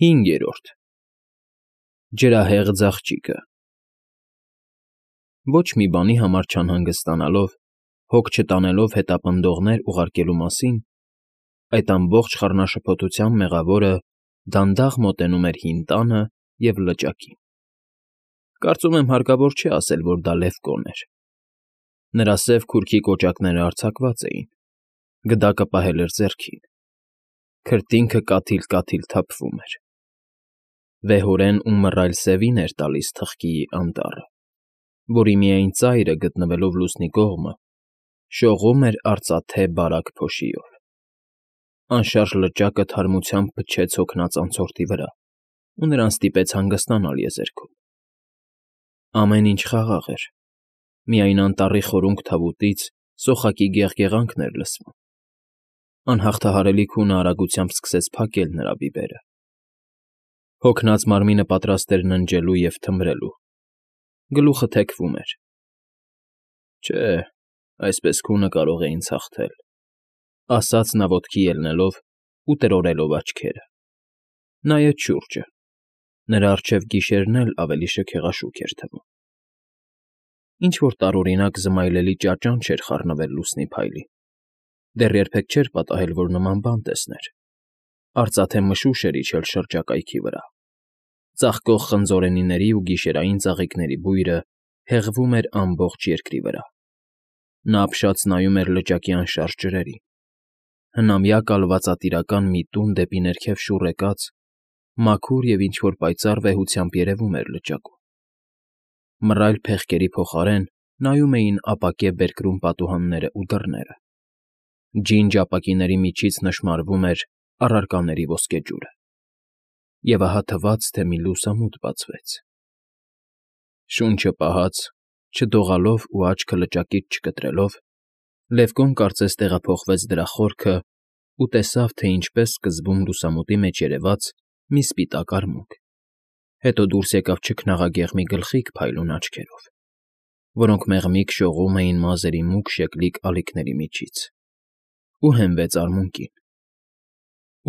5. Ջրահեղ ձաղճիկը Ոչ մի բանի համար չանհանգստանալով, հոգ չտանելով հետապնդողներ ուղարկելու մասին, այդ ամբողջ խառնաշփոթության մեղավորը դանդաղ մոտենում էր հին տանը և լճակին. կարծում եմ հարկավոր չէ ասել, որ դա Լևկոն էր. նրա սև քուրքի կոճակները արձակված էին, գդակը պահել էր ձեռքին, քրտինքը կաթիլ֊կաթիլ թափվում էր, վեհորեն ու մռայլ սևին էր տալիս թխկիի անտառը, որի միայն ծայրը, գտնվելով լուսնի կողմը, շողում էր արծաթե բարակ փոշիով. անշարժ լճակը թարմությամբ փչեց հոգնած անցորդի վրա ու նրան ստիպեց հանգստանալ եզերքում. ամեն ինչ խաղաղ էր, միայն անտառի խորունկ թավուտից սոխակի գեղգեղանքն էր լսվում. անհաղթահարելի քունը արագությամբ սկսեց փակել նրա բիբերը. հոգնած մարմինը պատրաստ էր ննջելու և թմրելու, գլուխը թեքվում էր. չէ, այսպես քունը կարող է ինձ հաղթել, ասաց նա ոտքի ելնելով ու տրորելով աչքերը. նայեց շուրջը, նրա առջև գիշերն էլ ավելի շքեղաշուք էր թվում. ինչ֊որ տարօրինակ զմայլելի ճաճանչ էր խառնվել լուսնի փայլին, դեռ երբեք չէր պատահել, որ նման բան տեսներ, արծաթե մշուշ էր իջել շրջակայքի վրա, ծաղկող խնձորենիների ու գիշերային ծաղիկների բույրը հեղվում էր ամբողջ երկրի վրա, նա ապշած նայում էր լճակի անշարժ ջրերին, հնամյա կալվածատիրական մի տուն դեպի ներքև շուռ եկած, մաքուր և ինչ֊որ պայծառ վեհությամբ երևում էր լճակում, մռայլ փեղկերի փոխարեն նայում էին ապակե բերկրում պատուհաններն ու դռները, ջինջ ապակիների միջից նշմարվում էր առարկաների ոսկեջուրը, և ահա թվաց, թե մի լուսամուտ բացվեց. շունչը պահած, չդողալով ու աչքը լճակից չկտրելով, Լևկոն կարծես տեղափոխվեց դրա խորքը ու տեսավ, թե ինչպես սկզբում լուսամուտի մեջ երևաց մի սպիտակ արմունկ, հետո դուրս եկավ չքնաղագեղ մի գլխիկ փայլուն աչքերով, որոնք մեղմիկ շողում էին մազերի մուգ շեկլիկ ալիքների միջից, ու հենվեց արմունկին,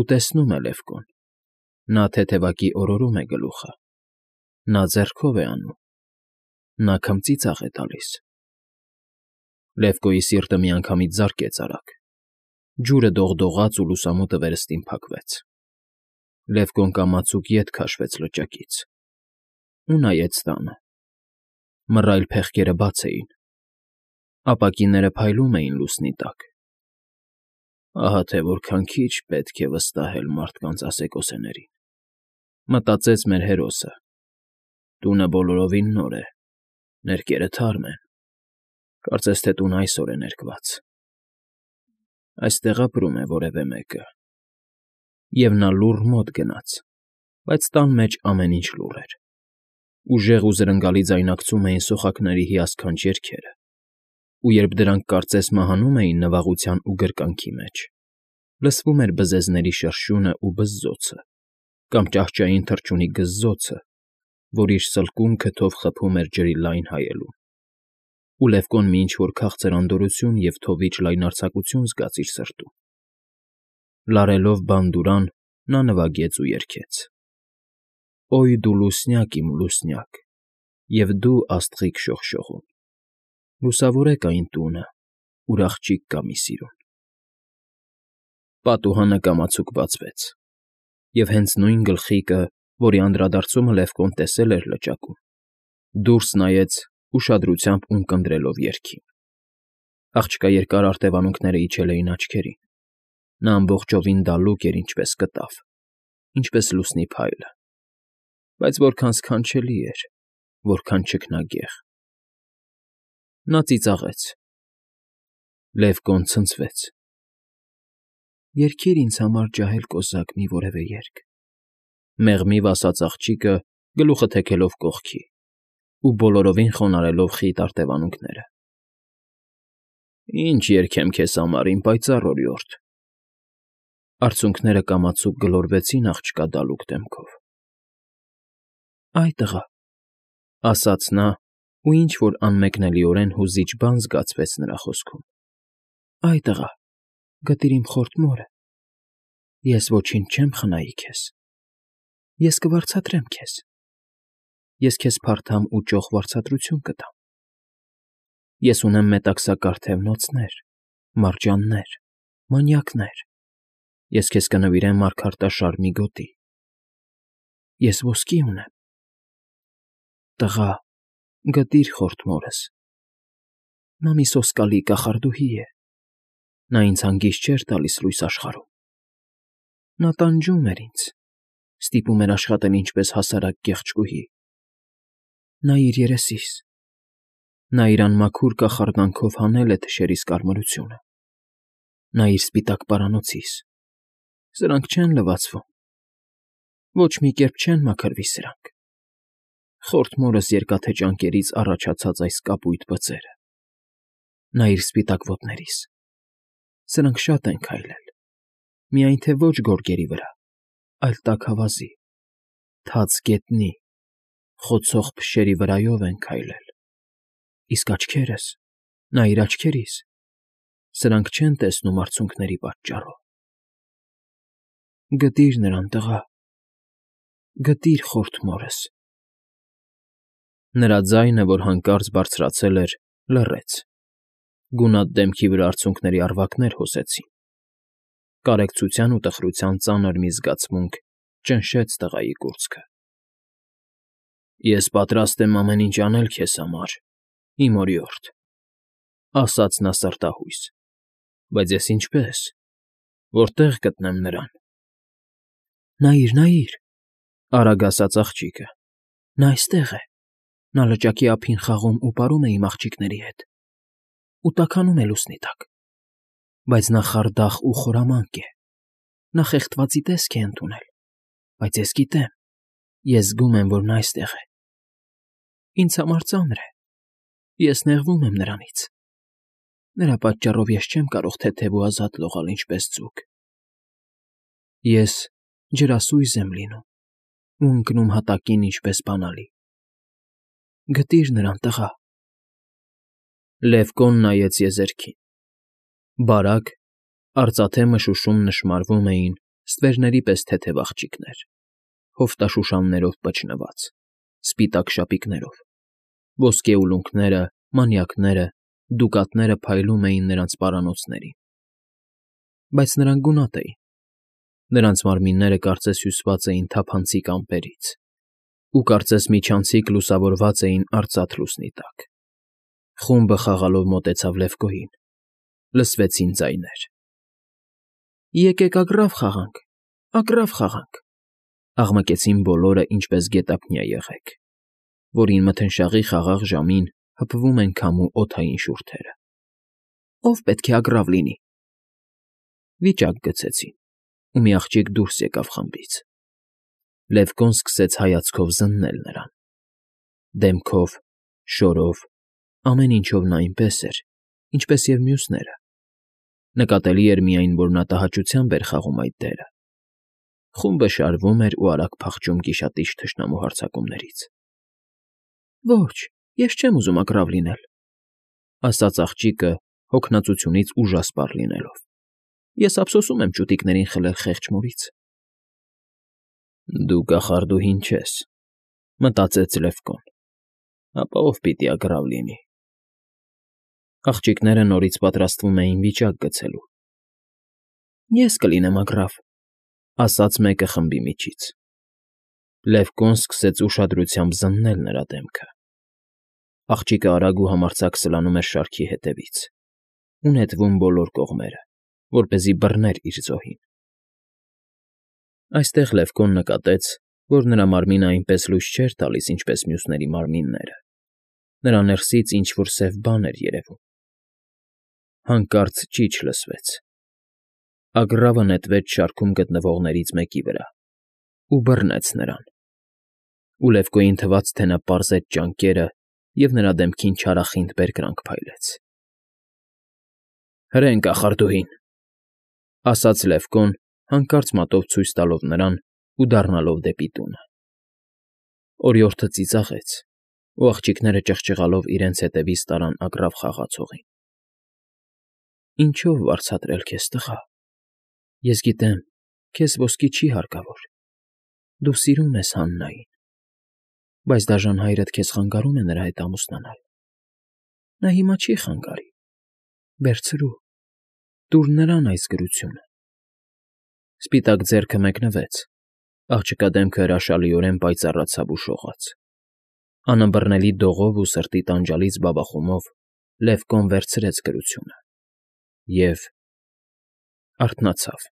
ու տեսնում է Լևկոն, նա թեթևակի օրորում է գլուխը, նա ձեռքով է անում, նա քմծիծաղ է տալիս. Լևկոյի սիրտը միանգամից զարկեց արագ, ջուրը դողդողաց ու լուսամուտը վերստին փակվեց, Լևկոն կամացուկ ետ քաշվեց լճակից ու նայեց տանը, մռայլ փեղկերը բաց էին, ապակիները փայլում էին լուսնի տակ, ահա թե որքան քիչ պետք է վստահել մարդկանց ասեկոսեներին, մտածեց մեր հերոսը, տունը բոլորովին նոր է, ներկերը թարմ են, կարծես թե տունը այսօր է ներկված, այստեղ ապրում է որևէ մեկը, և նա լուռ մոտ գնաց, բայց տան մեջ ամեն ինչ լուռ էր, ուժեղ ու զրնգալի ձայնակցում էին սոխակների հիասքանչ երգերը, ու երբ դրանք կարծես մահանում էին նվաղության ու գրկանքի մեջ, լսվում էր բզեզների շրշյունն ու բզզոցը, կամ ճահճային թռչունի գզզոցը, որ իր սլկում քթով խփում էր ջրի լայն հայելուն, ու Լևկոն մի ինչ֊որ քաղցր անդորրություն և թովիչ լայնարձակություն զգաց իր սրտում. լարելով բանդուրան, նա նվագեց ու երգեց. «Օյ դու լուսնյակ, իմ լուսնյակ, և դու աստղիկ շողշողուն, լուսավորեք այն տունը, ուր աղջիկ կա մի սիրուն»։ Պատուհանը կամացուկ բացվեց, և հենց նույն գլխիկը, որի անդրադարձումը Լևկոն տեսել էր լճակում, դուրս նայեց ուշադրությամբ ունկնդրելով երգին. աղջկա երկար արտևանունքները իջել էին աչքերին, նա ամբողջովին դալուկ էր ինչպես կտավ, ինչպես լուսնի փայլը, բայց որքան սքանչելի էր, որքան ճգնագեղ… Նա ծիծաղեց, Լևկոն ցնցվեց. «Երգիր ինձ համար ջահել կոզակ մի որևէ երգ», մեղմիվ ասաց աղջիկը, գլուխը թեքելով կողքի ու բոլորովին խոնարհելով խիտ արտևանունքները։ «Ինչ երգեմ քեզ համար, իմ պայծառ օրիորդ»։ Արցունքները կամացուկ գլորվեցին աղջկա դալուկ դեմքով։ «Այ տղա», ասաց նա, ու ինչ֊որ անմեկնելիորեն հուզիչ բան զգացվեց նրա խոսքում։ «Այ տղա, գտիր իմ խորտ մորը, ես ոչինչ չեմ խնայի քեզ»։ Ես կվարձատրեմ քեզ։ Ես քեզ փարթամ ու ճոխ վարձատրություն կտամ։ Ես ունեմ մետաքսակար թևնոցներ, մարջաններ, մանյակներ։ Ես քեզ կնվիրեմ մարգարտաշար մի գոտի։ Ես ոսկի ունեմ։ Տղա, գտիր խորթ մորս։ Նա մի սոսկալի կախարդուհի է։ Նա ինձ հանգիստ չէր տալիս լույս աշխարհում։ Նա տանջում էր ինձ, ստիպում էր աշխատել ինչպես հասարակ կեղճկուհի։ Նայիր երեսիս։ Նա իր անմաքուր կախարդանքով հանել է թշերիս կարմրությունը։ Նայիր սպիտակ պարանոցիս։ Սրանք չեն լվացվում։ Ոչ մի կերպ չեն մաքրվի սրանք։ Խորթ մորս երկաթե ճանկերից առաջացած այս կապույտ բծերը։ Նայիր սպիտակ ոտներիս։ Սրանք շատ են քայլել։ Միայն թե ոչ գորգերի վրա, այլ տաքավազի, թաց գետնի, խոցող փշերի վրայով են քայլել։ Իսկ աչքերս, նայիր աչքերիս, սրանք չեն տեսնում արցունքների պատճառով։ Գտիր նրան, տղա, գտիր խորթ մորս։ Նրա ձայնը, որ հանկարծ բարձրացել էր, լռեց։ Գունատ դեմքի վրա արցունքների առվակներ հոսեցին։ Կարեկցության ու տխրության ծանր մի զգացմունք ճնշեց տղայի կուրծքը։ Ես պատրաստ եմ ամեն ինչ անել քեզ համար, իմ օրիորդ, ասաց նա սրտահույս, բայց ես ինչպե՞ս, որտե՞ղ գտնեմ նրան։ Նայիր, նայիր, արագ ասաց աղջիկը, նա այստեղ է, նա լճակի ափին խաղում ու պարում է իմ աղջիկների հետ, ու տաքանում է լուսնի տակ, բայց նա խարդախ ու խորամանկ է, նա խեղդվածի տեսք է ընդունել, բայց ես գիտեմ, ես զգում եմ, որ նա այստեղ է։ Ինձ համար ծանր է, ես նեղվում եմ նրանից։ Նրա պատճառով ես չեմ կարող թեթև ու ազատ լողալ ինչպես ձուկ։ Ես ջրասույզ եմ լինում ու ընկնում հատակին ինչպես բանալի։ Գտիր նրան, տղա։ Լևկոն նայեց եզերքին։ Բարակ, արծաթե մշուշում նշմարվում էին ստվերների պես թեթև աղջիկներ, հովտաշուշաններով պճնված, սպիտակ շապիկներով, ոսկե ուլունքները, մանյակները, դուկատները փայլում էին նրանց պարանոցներին։ Բայց նրանք գունատ էին։ Նրանց մարմինները կարծես հյուսված էին թափանցիկ ամպերից, ու կարծես միջանցիկ լուսավորված էին արծաթ լուսնի տակ։ Խումբը խաղալով մոտեցավ Լևկոյին։ Լսվեցին ձայներ։ Եկեք ագռավ խաղանք, ագռավ խաղանք, աղմկեցին բոլորը ինչպես գետափնյա եղեք, որին մթնշաղի խաղաղ ժամին հպվում են քամու օդային շուրթերը։ Ո՞վ պետք է ագռավ լինի։ Վիճակ գցեցին, ու մի աղջիկ դուրս եկավ խմբից։ Լևկոն սկսեց հայացքով զննել նրան։ Դեմքով, շորով, ամեն ինչով նա այնպես էր, ինչպես և մյուսները։ Նկատելի էր միայն, որ նա տհաճությամբ էր խաղում այդ դերը։ Խումբը շարվում էր ու արագ փախչում գիշատիչ թշնամու հարձակումներից։ Ոչ, ես չեմ ուզում ագռավ լինել, ասաց աղջիկը հոգնածությունից ուժասպառ լինելով։ Ես ափսոսում եմ ճուտիկներին խլել խեղճ մորից։ Դու կախարդուհին չես, մտածեց Լևկոն, ապա ով պիտի ագռավ լինի։ Աղջիկները նորից պատրաստվում էին վիճակ գցելու։ Ես կլինեմ ագռավ, ասաց մեկը խմբի միջից։ Լևկոն սկսեց ուշադրությամբ զննել նրա դեմքը։ Աղջիկը արագ ու համարձակ սլանում էր շարքի հետևից ու նետվում բոլոր կողմերը, որպեսզի բռներ իր զոհին։ Այստեղ Լևկոն նկատեց, որ նրա մարմինը այնպես լույս չէր տալիս, ինչպես մյուսների մարմինները։ Նրա ներսից ինչ֊որ սև բան էր երևում։ Հանկարծ ճիչ լսվեց։ Ագռավը նետվեց շարքում գտնվողներից մեկի վրա ու բռնեց նրան։ Ու Լևկոյին թվաց, թե նա պարզեց ճանկերը և նրա դեմքին չարախինդ բերկրանք փայլեց։ Հրեն կախարդուհին, ասաց Լևկոն, հանկարծ մատով ցույց տալով նրան ու դառնալով դեպի տունը։ Օրիորդը ծիծաղեց, ու աղջիկները ճղճղալով իրենց հետևից տարան ագռավ խաղացողին։ Ինչո՞վ վարձատրել քեզ, տղա։ Ես գիտեմ, քեզ ոսկի չի հարկավոր։ Դու սիրում ես Հաննային, բայց դաժան հայրդ քեզ խանգարում է նրա հետ ամուսնանալ։ Նա հիմա չի խանգարի։ Վերցրու, տուր նրան այս գրությունը։ Սպիտակ ձեռքը մեկնվեց, աղջկա դեմքը հրաշալիորեն պայծառացավ ու շողաց։ Անըմբռնելի դողով ու սրտի տանջալից բաբախումով Լևկոն վերցրեց գրությունը և… արթնացավ։